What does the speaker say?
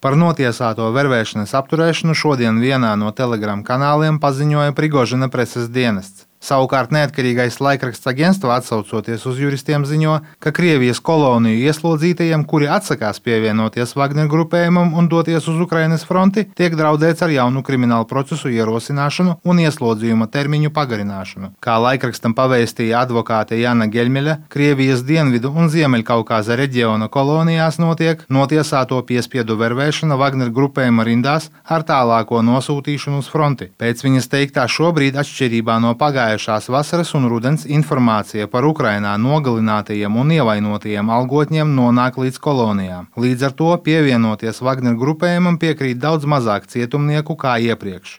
Par notiesāto vervēšanas apturēšanu šodien vienā no Telegram kanāliem paziņoja Prigožina preses dienests. Savukārt neatkarīgais laikraksts Agenstva, atsaucoties uz juristiem, ziņo, ka Krievijas koloniju ieslodzītajiem, kuri atsakās pievienoties Wagner grupējumam un doties uz Ukrainas fronti, tiek draudēts ar jaunu kriminālu procesu ierosināšanu un ieslodzījuma termiņu pagarināšanu. Kā laikrakstam pavēstīja advokāte Jana Geļmeļa, Krievijas dienvidu un Ziemeļkaukāza reģiona kolonijās notiek notiesāto piespiedu vervēšana Wagner grupējuma rindās ar tālāko nosūtīšanu uz fronti. Pēc viņas teiktā šobrīd, atšķirībā no pagājušās vasaras un rudens, informācija par Ukrainā nogalinātajiem un ievainotajiem algotņiem nonāk līdz kolonijām. Līdz ar to pievienoties Wagner grupējumam piekrīt daudz mazāk cietumnieku kā iepriekš.